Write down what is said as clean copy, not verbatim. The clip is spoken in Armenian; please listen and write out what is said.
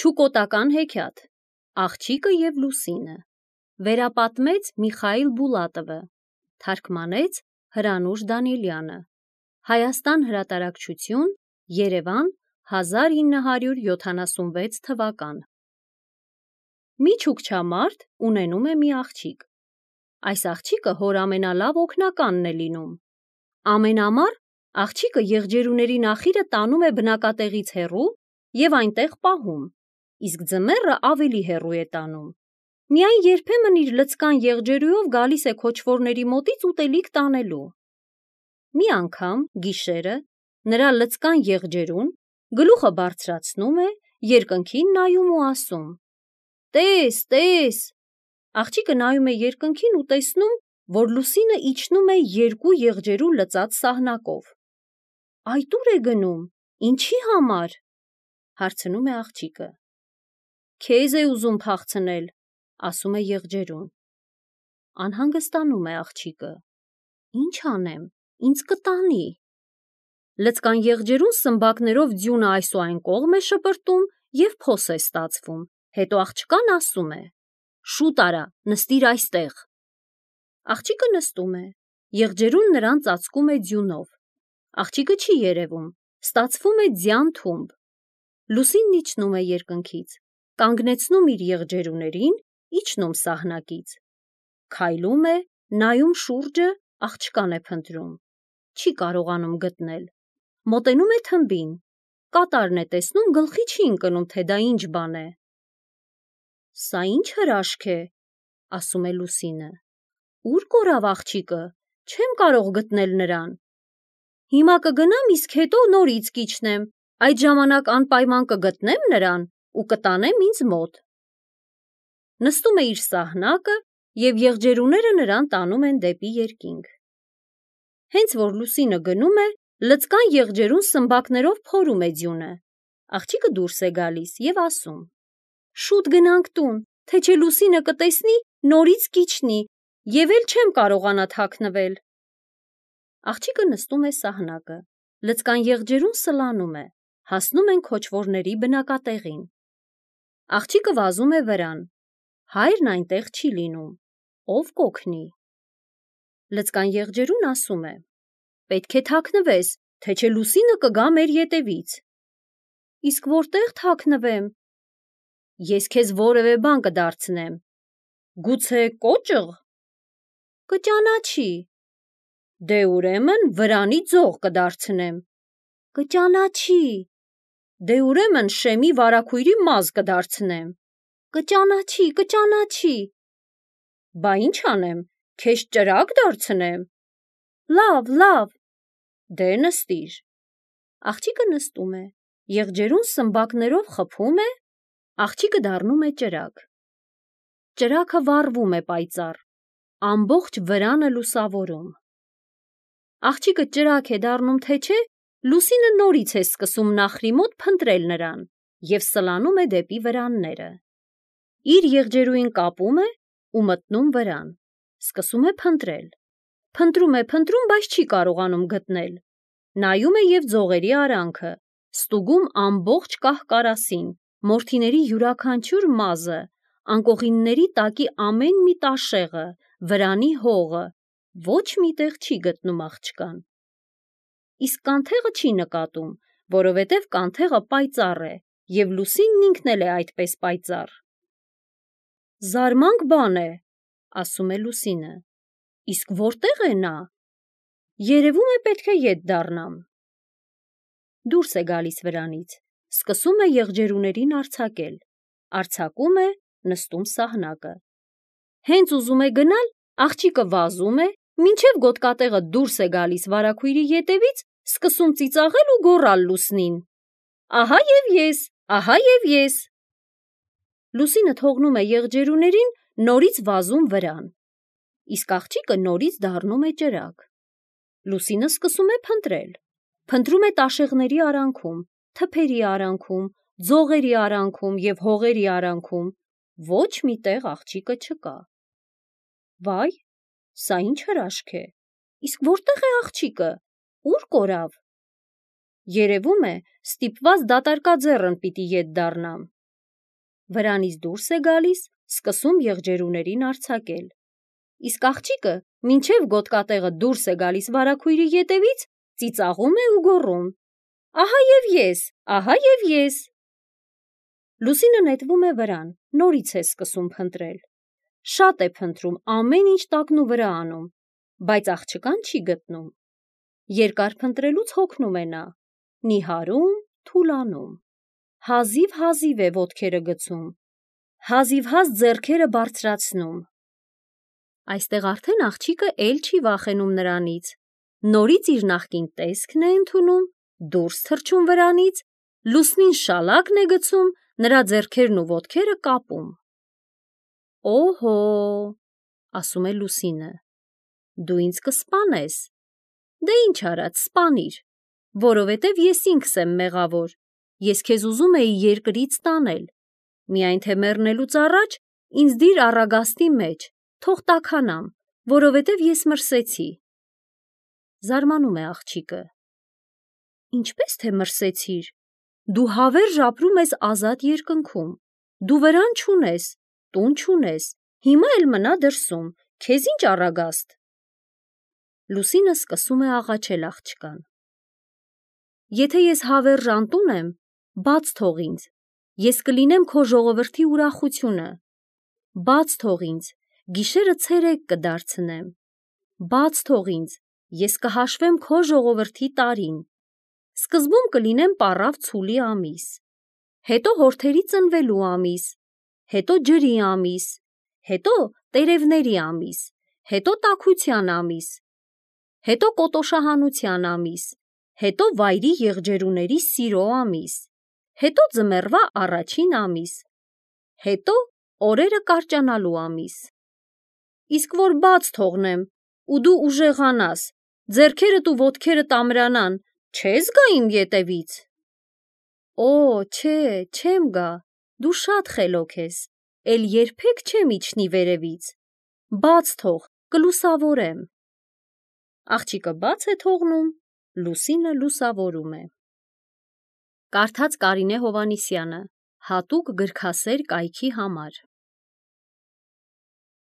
Չուկոտական հեքիաթ Աղջիկը և լուսինը վերապատմեց Միխայիլ Բուլատովը, թարգմանեց Հրանուշ Դանիելյանը, Հայաստան հրատարակչություն, Երևան 1976 թվական։ Մի չուկչամարդ ունենում է մի աղջիկ։ Այս աղջիկը հոր ամենալավ օգնականն է լինում։ Ամեն ամառ աղջիկը եղջերուների նախիրը տանում է բնակատեղից հեռու և այնտեղ պահում, իսկ ձմեռը ավելի հեռու է տանում։ Միայն երբեմն իր լցկան եղջերուով գալիս է քոչվորների մոտից ուտելիք տանելու։ Մի անգամ գիշերը նրա լցկան եղջերուն գլուխը բարձրացնում է, երկնքին նայում ու ասում. «Տես, տես»։ Աղջիկը նայում է երկնքին ու տեսնում, որ լուսինը իջնում է երկու եղջերու լցած սահնակով։ «Այդ ուր է գնում, ինչի համար»։ Հարցնում է աղջիկը։ «Քեզ է ուզում փախցնել», ասում է եղջերուն։ Անհանգստանում է աղջիկը։ «Ինչ անեմ, ինձ կտանի»։ Լցկան եղջերուն սմբակներով ձյունը այս ու այն կողմ է շպրտում և փոս է ստացվում, հետո աղջկան ասում է. «Շուտ արա, նստիր այստեղ»։ Աղջիկը նստում է, եղջերուն նրան ծածկում է ձյունով։ Աղջիկը չի երևում, ստացվում է ձյան թումբ։ Լուսինն իջնում է երկնքից, կանգնեցնում իր եղջերուներին, իջնում սահնակից։ Քայլում է, նայում շուրջը, աղջկան է փնտրում։ Չի կարողանում գտնել։ Մոտենում է թմբին, կատարն է տեսնում, գլխի չի ընկնում, թե դա ինչ բան է։ «Սա ինչ հրաշք է», ասում է լուսինը։ «Ուր կորավ աղջիկը, չեմ կարող գտնել նրան»։ «Հիմա կգնամ, իսկ հետո նորից կիջնեմ, այդ ժամանակ անպայման կգտնեմ նրան ու կտանեմ ինձ մոտ»։ Նստում է իր սահնակը և եղջերուները նրան տանում են դեպի երկինք։ Հենց որ լուսինը գնում է, լցկան եղջերուն սմբակներով փորում է ձյունը։ Աղջիկը դուրս է գալիս և ասում. «Շուտ գնանք տուն, թե չէ լուսինը կտեսնի, նորից կիջնի, և էլ չեմ կարողանա թաքնվել»։ Աղջիկը նստում է սահնակը, լցկան եղջերուն սլանում է, հասնում են քոչվորների բնակատեղին։ Աղջիկը վազում է վրան, հայրն այնտեղ չի լինում, ով կօգնի։ Լցկան եղջերուն ասում է. «Պետք է թաքնվես, թե չէ լուսինը կգա մեր ետևից»։ «Իսկ որտե՞ղ թաքնվեմ»։ «Ես քեզ որևէ բան կդարձնեմ»։ «Գուցե կոճղ»։ «Կճանաչի»։ «Դե ուրեմն վրանի ձող կդարձնեմ»։ «Կճանաչի»։ «Դե ուրեմն շեմի վարագույրի մազ կդարձնեմ»։ «Կճանաչի, կճանաչի»։ «Բա ինչ անեմ, քեզ ճրագ դարձնեմ»։ «Լավ, լավ»։ «Դե նստիր»։ Աղջիկը նստում է, եղջերուն սմբակներով խփում է, աղջիկը դառնում է ճրագ։ Ճրագը վառվում է պայծառ, ամբողջ վրանը լուսավորում։ Աղջիկը ճրագ է դառնում, թե չէ, լուսինը նորից է սկսում նախրի մոտ փնտրել նրան և սլանում է դեպի վրանները։ Իր եղջերուին կապում է ու մտնում վրան, սկսում է փնտրել։ Փնտրում է, բայց չի կարողանում գտնել։ Նայում է և ձողերի արանքը, ստուգում ամբողջ կահ-կարասին, մորթիների յուրաքանչյուր մազը, անկողինների տակի ամեն մի տաշեղը, վրանի հողը, ոչ մի տեղ չի գտնում աղջկան։ Իսկ կանթեղը չի նկատում, որովհետև կանթեղը պայծառ է և լուսինն ինքն էլ է այդպես պայծառ։ «Զարմանք բան է», ասում է լուսինը։ «Իսկ որտե՞ղ է նա»։ «Երևում է պետք է ետ դառնամ»։ Դուրս է գալիս վրանից, սկսում է եղջերուներին արձակել, արձակում է, նստում սահնակը։ Հենց ուզում է գնալ, աղջիկը վազում է, մինչև գոտկատեղը դուրս է գալիս վարագույրի ետևից, սկսում ծիծաղել ու գոռալ լուսնին. «Ահա և ես, ահա և ես»։ Լուսինը թողնում է եղջերուներին, նորից վազում վրան, իսկ աղջիկը նորից դառնում է ճրագ։ Լուսինը սկսում է փնտրել։ Փնտրում է տաշեղների արանքում, թփերի արանքում, ձողերի արանքում և հողերի արանքում, ոչ մի տեղ աղջիկը չկա։ Վայ, սա ինչ հրաշք է։ Իսկ որտե՞ղ է աղջիկը, ուր կորավ։ Երևում է, ստիպված դատարկաձեռն պիտի ետ դառնամ։ վրանից դուրս է գալիս, սկսում եղջերուներին արձակել։ Իսկ աղջիկը, մինչև գոտկատեղը դուրս է գալիս վարագույրի ետևից, ծիծաղում է ու գոռում. «Ահա և ես, ահա և ես»։ Լուսինը նետվում է վրան, նորից է սկսում փնտրել։ Շատ է փնտրում, ամեն ինչ տակնու վրա անում, բայց աղջկան չի գտնում։ Երկար փնտրելուց հոգնում է նա, նիհարում, թուլանում։ Հազիվ-հազիվ է ոտքերը գցում, հազիվ-հազ ձեռքերը բարձրացնում։ Այստեղ արդեն աղջիկը էլ չի վախենում նրանից, նորից իր նախկին տեսքն է ընդունում, դուրս թռչում վրանից, Լուսնին շալակն է գցում, նրա ձեռքերն ու ոտքերը կապում։ «Օհո», ասում է Լուսինը, «դու ինձ կսպանես»։ Դե ինչ արած, սպանիր, որովհետև ես ինքս եմ մեղավոր, ես քեզ ուզում էի երկրից տանել, միայն թե մեռնելուց առաջ ինձ դիր առագաստի մեջ, թող տաքանամ, որովհետև ես մրսեցի։ Զարմանում է աղջիկը. «Ինչպես թե մրսեցիր, դու հավերժ ապրում ես ազատ երկնքում, դու վրան չունես, տուն չունես, հիմա էլ մնա դրսում, քեզ ինչ առագաստ»։ Լուսինը սկսում է աղաչել աղջկան. «Եթե ես հավերժ անտուն եմ, բաց թող ինձ, ես կլինեմ քո ժողովրդի ուրախությունը, բաց թող ինձ, գիշերը ցերեկ կդարձնեմ, բաց թող ինձ, ես կհաշվեմ քո ժողովրդի տարին, սկզբում կլինեմ պառավ ցուլի ամիս, հետո հորթերի ծնվելու ամիս, հետո ջրի ամիս, հետո տերևների ամիս, հետո տաքության ամիս, հետո կոտոշահանության ամիս, հետո վայրի եղջերուների սիրո ամիս, հետո ձմեռվա առաջին ամիս, հետո օրերը կարճանալու ամիս։ Իսկ որ բաց թողնեմ, ու դու ուժեղանաս, ձեռքերդ ու ոտքերդ ամրանան, չե՞ս գա իմ ետևից։ Օ, չէ, չեմ գա, դու շատ խելոք ես, էլ երբեք չեմ իջնի վերևից, բաց թող, կլուսավորեմ։ Աղջիկը բաց է թողնում, Լուսինը լուսավորում է։ Կարդաց Կարինե Հովհաննիսյանը, հատուկ գրքասեր կայքի համար։